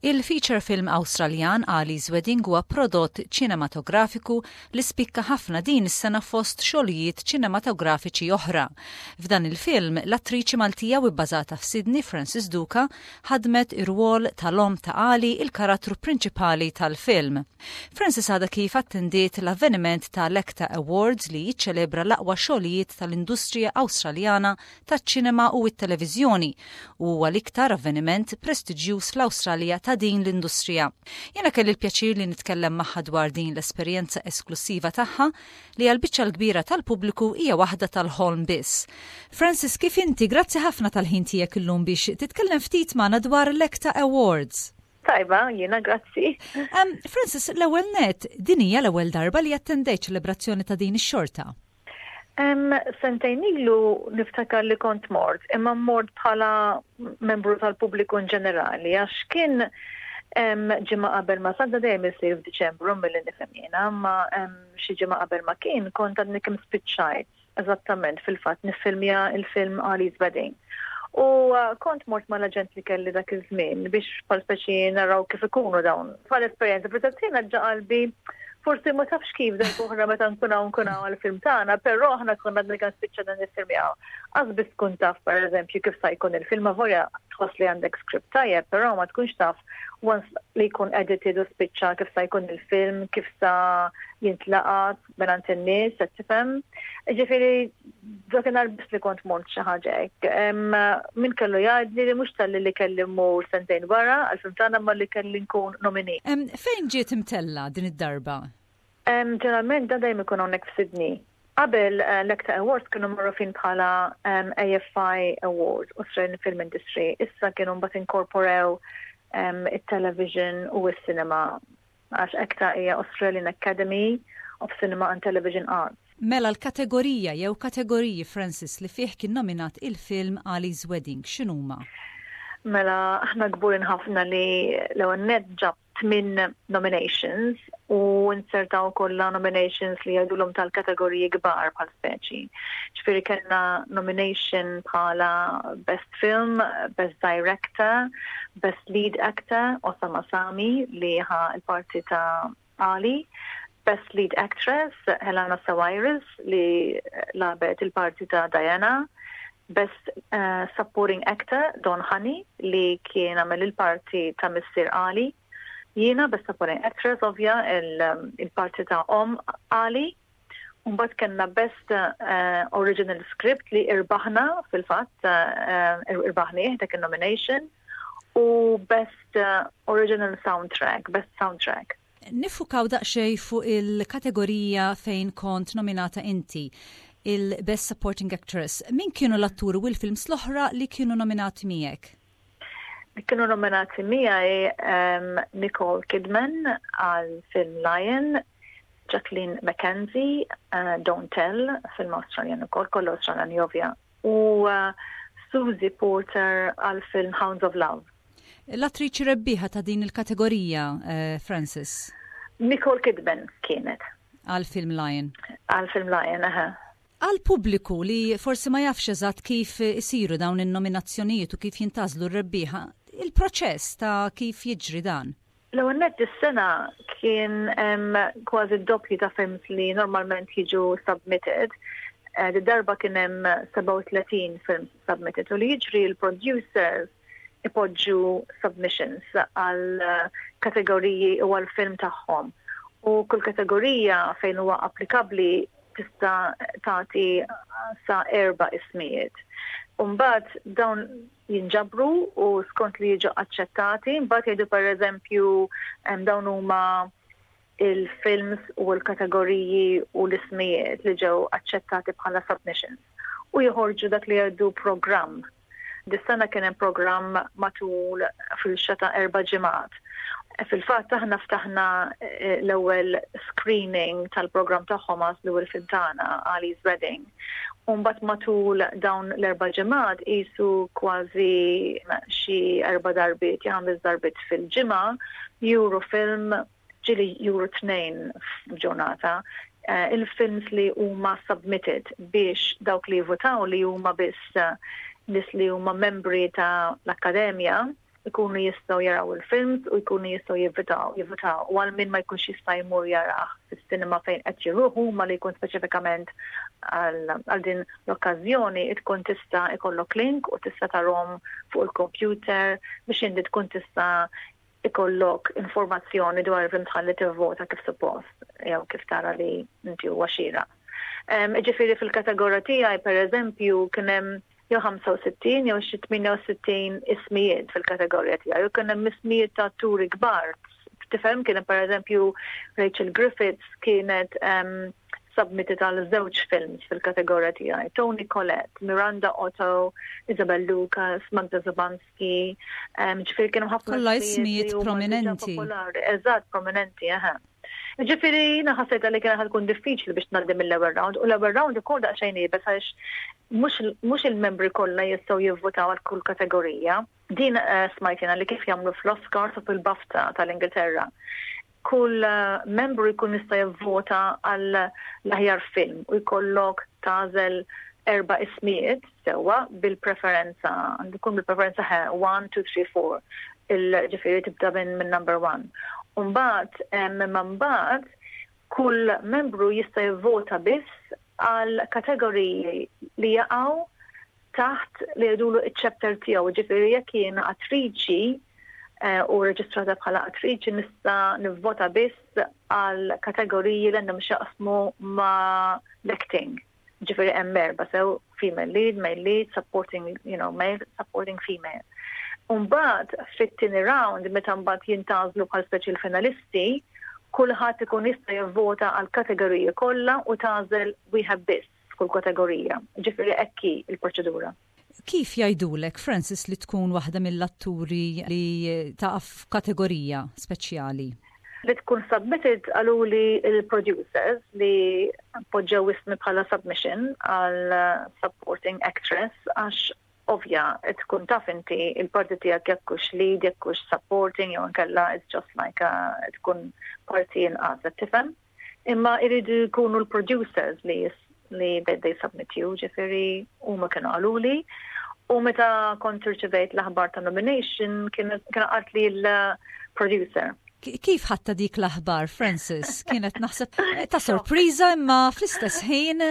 Il-feature film Awstraljan Ali's Wedding huwa prodott ċinematografiku li spikka ħafna din is-sena fost xogħlijiet ċinematografiċi oħra. F'dan il-film, l-attriċi Maltija u bbażata f'Sydney Frances Duca ħadmet ir-rwol tal-omm ta' Ali, il-karattru prinċipali tal-film. Frances għadha kif attendiet l-avveniment tal-ACTA Awards li jiċċelebra l-aqwa xogħlijiet tal-industrija Awstraljana taċ-ċinema u t-televiżjoni u huwa l-iktar avveniment prestiġjuż fl-Awstralja ta' din l-industrija. Jiena kelli l-pjaċir li nitkellem magħha dwar din l-esperjenza esklussiva tagħha li għall-biċċa l-kbira tal-pubbliku hija waħda tal-ħolm biss. Frances, kif inti? Grazzi ħafna tal-ħin tiegħek illum biex titkellem ftit magħna dwar l-ACTA Awards. Tajba, jiena grazzi. Frances, l-ewwel net, din hija l-ewwel darba li attendejt ċelebrazzjoni ta' din ix-xorta. Sentejn ilu niftakar li kont mort, imma mort bħala membru tal-pubbliku in ġenerali, għax kien ġimgħa qabel ma sadda dejjem isir f'Diċembru milli nifhem jiena, imma xi ġimgħa qabel ma kien kont għadni kemm spiċċajt eżattament fil-fatt niffilmja il-film Ali's Wedding. U kont mort mal-aġent li kelli dak iż-żmien biex bħal speċi naraw kif ikunu dawn. Bħal esperjenza, fl-istess ġa qalbi forsi ma tafx kif darb'oħra meta nkun hawn nkun hawn għall-film tagħna, però aħna konna għadna kemm spiċċa niffilmjaw. Qas biss tkun taf pereżempju kif sa jkun il-film avolja tħoss li għandek script tajjeb, però ma tkunx taf once li jkun edited u spiċċa kif sa jkun il-film, kif sa jintlaqat mingħand in-nies, qed tifhem. Ġifieri dakinhar biss li kont mort xi ħaġa hekk. Min kellu jgħidli li mhux talli li kelli mmur sentejn wara għall-film tagħna imma li kelli nkun nominee. Fejn ġiet imtella' din id-darba? Ġeneralment dan dejjem ikun hawnhekk f'Sydney. Qabel l-ACTA Awards kienu magħrufin bħala AFI Awards, Australian Film Industry. Issa kienu mbagħad inkorporew it-television u s-cinema għax ACTA hija Australian Academy of Cinema and Television Arts. Mela l-kategorija jew kategoriji, Frances, li fih kien nominat il-film Ali's Wedding x'inhuma? Mela aħna kburin ħafna li l-ewwel nett ġab tmien nominations u nsertaw kollha nominations li jgħidulhom tal-kategoriji kbar bħal speċi. Ġifieri kellna nomination bħala Best Film, Best Director, Best Lead Actor, Osama Sami li ħa l-parti ta' Ali, Best Lead Actress, Helena Sawires li lagħbet il-parti ta' Diana, Best Supporting Actor, Don Honey li kien għamel il-parti ta' missier Ali, jiena Best Supporting Actress ovvja il-parti ta' omm Ali, u mbagħad kellna Best Original Script li irbaħna fil-fatt irbaħnieh dak il-nomination u Best Original Soundtrack, Best Soundtrack. Niffukaw daqsxejn fuq il-kategorija fejn kont nominata inti, il-Best Supporting Actress. Min kienu l-atturi u l-films l-oħra li kienu nominati miegħek? Li kienu nominati miegħi Nicole Kidman għal film Lion, Jacqueline McKenzie, Don't Tell, film Australian ukoll, kollu Australian ovvja, u Susie Porter għal film Hounds of Love. L-attriċi rebbieħa ta' din il-kategorija, Frances? Nicole Kidman kienet. Għal film Lion. Għal film Lion, aha. Għal pubbliku li forsi ma jafx eżatt kif isiru dawn in-nominazzjonijiet u kif jintgħażlu r-rebbieħa, il-proċess ta' kif jiġri dan? L-ewwel nett is-sena kien hemm kważi d-doppju ta' films li normalment jiġu submitted. Di darba kien hemm 37 films submitted u li jiġri l-producers ipoġġu submissions għal kategoriji u għal film tagħhom. U kull kategorija fejn huwa applikabbli tista' tagħti sa erba' ismijiet. U mbagħad dawn jinġabru u skont li jiġu aċċettati, mbagħad jgħidu pereżempju dawn huma il-films u l-kategoriji u l-ismijiet li ġew aċċettati bħala submissions. U joħorġu dak li jgħidu programm. Dis-sena kien hemm programm matul fil-xata 4 ġimgħat. Fil-fatt aħna ftaħna l-ewwel screening tal-programm tagħhom għażlu l-ewwel film tagħna, Ali's Wedding. U mbagħad matul dawn l-4 ġimgħat qisu kważi xi erba' darbiet jew ħames darbiet fil-ġimgħa juru film, ġieli juru tnejn f'ġurnata, il-films li huma submitted biex dawk li votaw li huma biss nies li huma membri ta' l-akkademja. Ikunu jistgħu jaraw il-films u jkunu jistgħu jivvitaw, jivvitaw u għal min ma jkunx jista' jmur jarah fis-sinema fejn qed jiruħu ma li jkun speċifikament għal din l-okkażjoni tkun tista' ikollok link u tista' tarhom fuq il-computer biex inti tkun tista' ikollok informazzjoni dwar il-film tħalli tivvota kif suppost jew kif tara li inti huwa xieraq. Ġifieri fil-kategorija tiegħi pereżempju kien hemm jew 65 jew xi 68 ismijiet fil-kategorija tiegħi u kien hemm ismijiet ta' atturi kbar. Tifhem kien hemm pereżempju Rachel Griffiths kienet submitted għal żewġ films fil-kategorija tiegħi. Toni Collette, Miranda Otto, Isabel Lucas, Magda Szubanski, ġifieri kienu ħafna Kollha ismijiet prominenti. Eżatt, prominenti, eħe. Ġifieri jiena ħassejta li kien tkun diffiċli biex ngħaddi mill-ewwel round u l-ewwel round ukoll daqsxejn iebes għax mhux il-membri kollha jistgħu jivvotaw għal kull kategorija. Din smajt jiena li kif jagħmlu fl-Oscars u fil-BAFTA tal-Ingilterra. Kull membru jkun jista' jivvota għal l-aħjar film u jkollok tagħżel erba' ismijiet sewwa bil-preferenza, għandu jkun bil-preferenza 1, 2, 3, 4. Il-ġifieri tibda minn number 1. Umbagħad, imma mbagħad kull membru jista' jivvota biss għal kategoriji li jaqgħu taħt li jgħidulu iċ-chapter tiegħu, ġifieri jekk jiena attriċi u reġistrata bħala attriċi nista' nivvota biss għal kategoriji li għandhom x'jaqsmu ma' l-acting. Ġifieri hemm erba' sew female lead, male lead, supporting, male, supporting female. Umbagħad fit-tieni round meta mbagħad jintgħażlu bħal speċi l-finalisti, kulħadd ikun jista' jivvota għal kategoriji kollha u tagħżel wieħed biss f'kull kategorija. Ġifieri hekk hi l-proċedura. Kif jgħidulek, Frances, li tkun waħda mill-atturi li taqa' f'kategorija speċjali? Li tkun submitted qaluli il-producers li poġġew ismi bħala submission għal supporting actress għax ovvja tkun taf inti il-parti tiegħek jekk hux lead, jekk hux supporting jew inkella it's just like a, tkun parti inqas, qed tifhem? Imma jridu jkunu l-producers li they submit you, ġifieri huma kienu qaluli. U meta kont irċivejt l-aħbar ta' nomination kien qalt li l-producer. Kif ħadtha dik l-aħbar, Frances? Kienet naħseb ta' sorpriża imma fl-istess ħin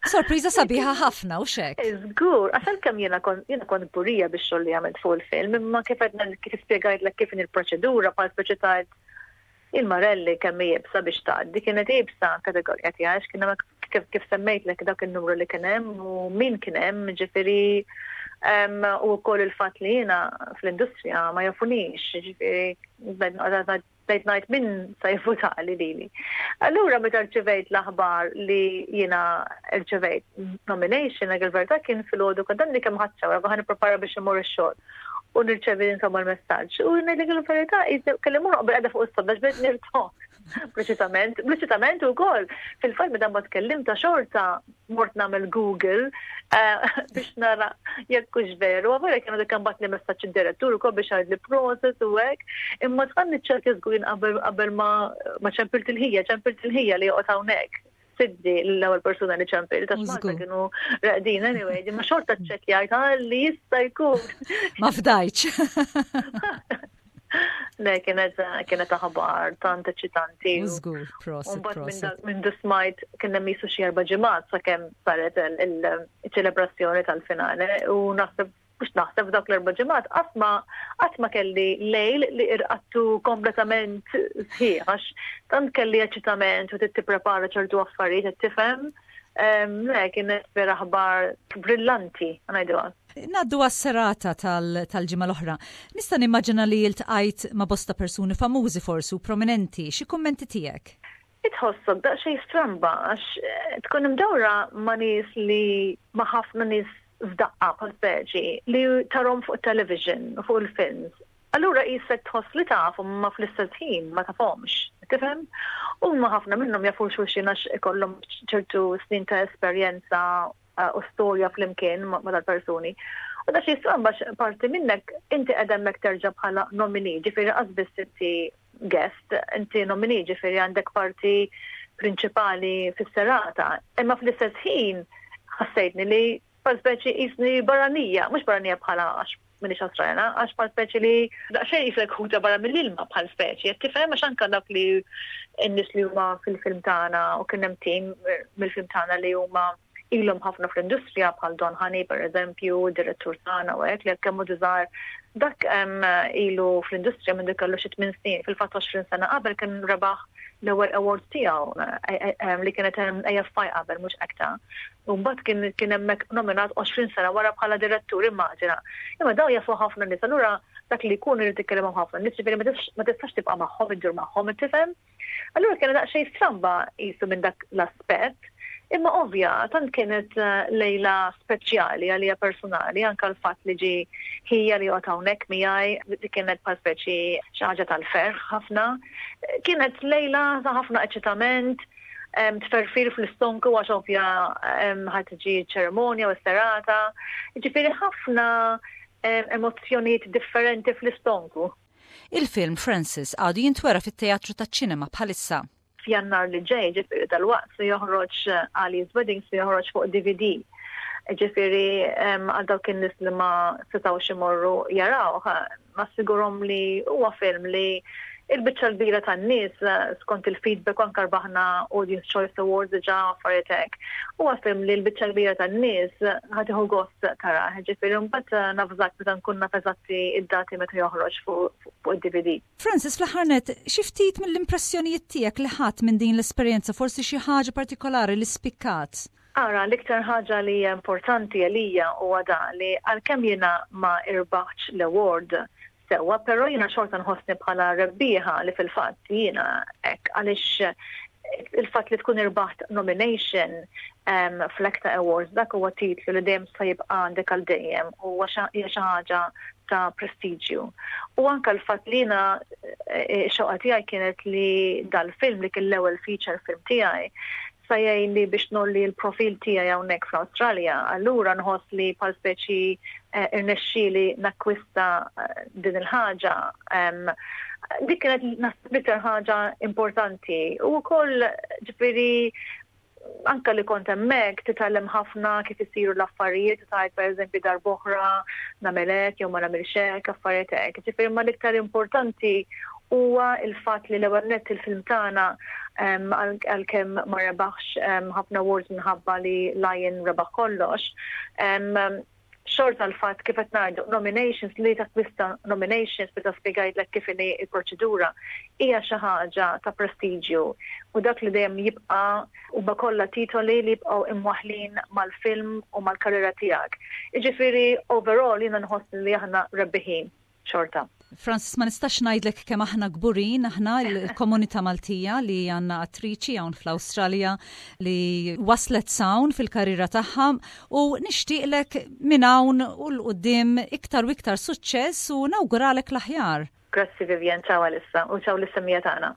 sorpriża sabiħa ħafna u xek. Żgur, għax kemm jiena kont kburija bix-xogħol li għamilt fuq il-film, imma kif għedna kif spjegajtlek kif il-proċedura bħal speċi ta' il-Marelli kemm iebsa biex tgħaddi, kienet iebsa kategorija tiegħi għax kien hemm kif semmejtlek dak il-numru li kien hemm u min kien hemm, ġifieri u wkoll il-fatt li jiena fl-industrija ma jafunix, ġifieri bdejt ngħid min se jivvutali lili. Allura meta rċivejt l-aħbar li jiena rċivejt nomination, għal il-verità kien filgħodu kont għandi kemm ħadt shower, ħa nipprepara biex immur ix-xogħol. U nirċevi insomma l-messaġġ. U ngħidlek il-verità, kelli mmur qabel qiegħda fuq is-sodda bdejt nirtoħ. Preċisament, preċisament ukoll. Fil-fatt meta ma tkellim ta' xorta mort nagħmel Google biex nara jekk hux veru. Għavera kienu dik bagħatli messaġġ id-direttur ukoll biex għidli prosit u hekk. Imma tħalli ċerti żgur qabel ma ċempilt il-ħija, ċempilt il-ħija li joqgħod hawnhekk. Siddi l-ewwel persuna li ċempilt, għax Malta kienu reqdin anyway, ma xorta ċċekkjajt li jista' jkun. Ma fdajtx. Le, kienet aħbar tant eċitanti. Żgur, prosit, prosit. Minn dismajt kien hemm jisu xi erba' ġimgħat sakemm saret il-ċelebrazzjoni tal-finale u naħseb mhux naħseb f'dawk l-erba' ġimgħat qatt ma kelli lejl li irqadtu kompletament sħiħ għax tant kelli eċitament u tipprepara ċertu affarijiet qed tifhem. Le, kienet vera aħbar brillanti, ngħidu. Ngħaddu għas-serata tal-ġimgħa l-oħra. Nista' nimmaġina li iltqajt ma' bosta persuni famużi forsi u prominenti. Xi kummenti tiegħek? Itħossok daqsxejn stramba għax tkun imdawra ma' nies li ma' ħafna nies f'daqqa bħal speċi li tarhom fuq television u fuq il-films. Allura qisek tħoss li tafhom ma fl-istess ħin ma tafhomx, tifhem? Huma ħafna minnhom jafu xulxin għax ikollhom ċertu snin ta' esperjenza u storja flimkien ma' dal-persuni. U da xi stramba parti minnek inti qed hemmhekk terġa' bħala nominee, ġifieri qas biss inti guest, inti nominee, ġifieri għandek parti prinċipali fis-serata. Imma fl-istess ħin ħassejtni li bħal speċi qisni barranija, mhux barranija bħala għax m'iniex Awstraljana għax bħal speċi li daqsxejn jisek ħuta barra mill-ilma bħal speċi, qed tifhem għax anke dak li n-nies li huma fil-film tagħna u kien hemm tim mill-film tagħna li huma ilhom ħafna fl-industrija bħal Don Honey per eżempju, direttur tagħna u hekk li kemm hu diżar dak ilu fl-industrija minn kellu xi tmien snin, fil-fatt 20 sena qabel kien rebaħ l-ewwel award tiegħu eh, eh, li kienet AFI qabel mhux aktar. U mbagħad kien kien hemmhekk nominat 20 sena wara bħala direttur immaġina. Imma daw jafu ħafna nies, allura dak li jkun irid ikkellimhom ħafna nies, ġifieri ma tistax tibqa' magħhom iddur magħhom, tifhem? Allura kienet daqsxejn stramba qisu minn dak l-aspett. Imma ovvja, tant kienet eh, lejla speċjali għalija personali, anka l-fatt li ġi ħija li joqgħod hawnhekk miegħi, li kienet bħal speċi xi ħaġa tal-ferħ ħafna. Kienet lejla ta' ħafna eċitament, tferfir fl-istonku għax ovvja ħad tiġi ċerimonja u s-serata. Ġifieri ħafna emozzjonijiet differenti fl-istonku. Il-film Francis għadu jintwera fit-teatru taċ-ċinema bħalissa. F'Jannar li ġej, ġifieri dalwaqt se joħroġ Ali's Wedding se joħroġ fuq DVD. Ġifieri għal dawk in-nies li ma setgħux imorru jarawh, nassigurhom li huwa film li il-biċċa l-kbira tan-nies skont il-feedback anke rbaħna Audience Choice Awards diġà affarijiet hekk. Huwa film li l-biċċa l-kbira tan-nies ħa tieħu gost tarah, ġifieri mbagħad navżak meta nkun naf eżatti id-dati meta joħroġ fuq id-DVD. Francis, fl-aħħar nett, xi ftit mill-impressjonijiet tiegħek li ħadt minn din l-esperjenza, forsi xi ħaġa partikolari li spikkat? Ara, l-iktar ħaġa li hija importanti għalija huwa dan li għalkemm jiena ma irbaħtx l-award sewwa, però jiena xorta nħossni bħala rebbieħa li fil-fatt jiena hekk għaliex il-fatt li tkun irbaħt nomination um, fl-ACTA Awards dak huwa titlu li dejjem se jibqa' għandek għal dejjem u hija xi ħaġa ta' prestiġju. U anka l-fatt li jiena eh, xoqa tiegħi kienet li dal-film li kien l-ewwel feature film tiegħi sa jgħinni biex nolli l-profil tiegħi hawnhekk fl-Awstralja, allura nħoss li bħal speċi eh, irnexxieli nakkwista eh, din il-ħaġa. Dik kienet naħseb l-iktar ħaġa importanti. U wkoll ġifieri anka li kont hemmhekk titgħallem ħafna kif isiru l-affarijiet, tgħid pereżempju darb'oħra nagħmel hekk jew ma nagħmilx hekk, affarijiet hekk. Ġifieri ma l-iktar importanti huwa il-fatt li l-ewwel nett il-film tagħna għalkemm ma rebaħx ħafna awards minħabba li Lion rebaħ kollox. Xorta l-fatt kif qed ngħidu nominations li takkwista nominations meta spjegajtlek kif inhi l-proċedura hija xi ħaġa ta' prestiġju u dak li dejjem jibqa' huma kollha titoli li jibqgħu imwaħħlin mal-film u mal-karriera tiegħek. Jiġifieri overall jiena nħoss li aħna rebbiħin. Xorta. Francis, ma nistax ngħidlek kemm aħna kburin aħna l-komunità Maltija li għandna attriċi hawn fl-Awstralja li waslet s'hawn fil-karriera tagħha u nixtieqlek minn hawn u 'l quddiem iktar u iktar suċċess u nawguralek l-aħjar. Grazzi Vivian, ciao għalissa u ciao lis-semmiegħa tagħna.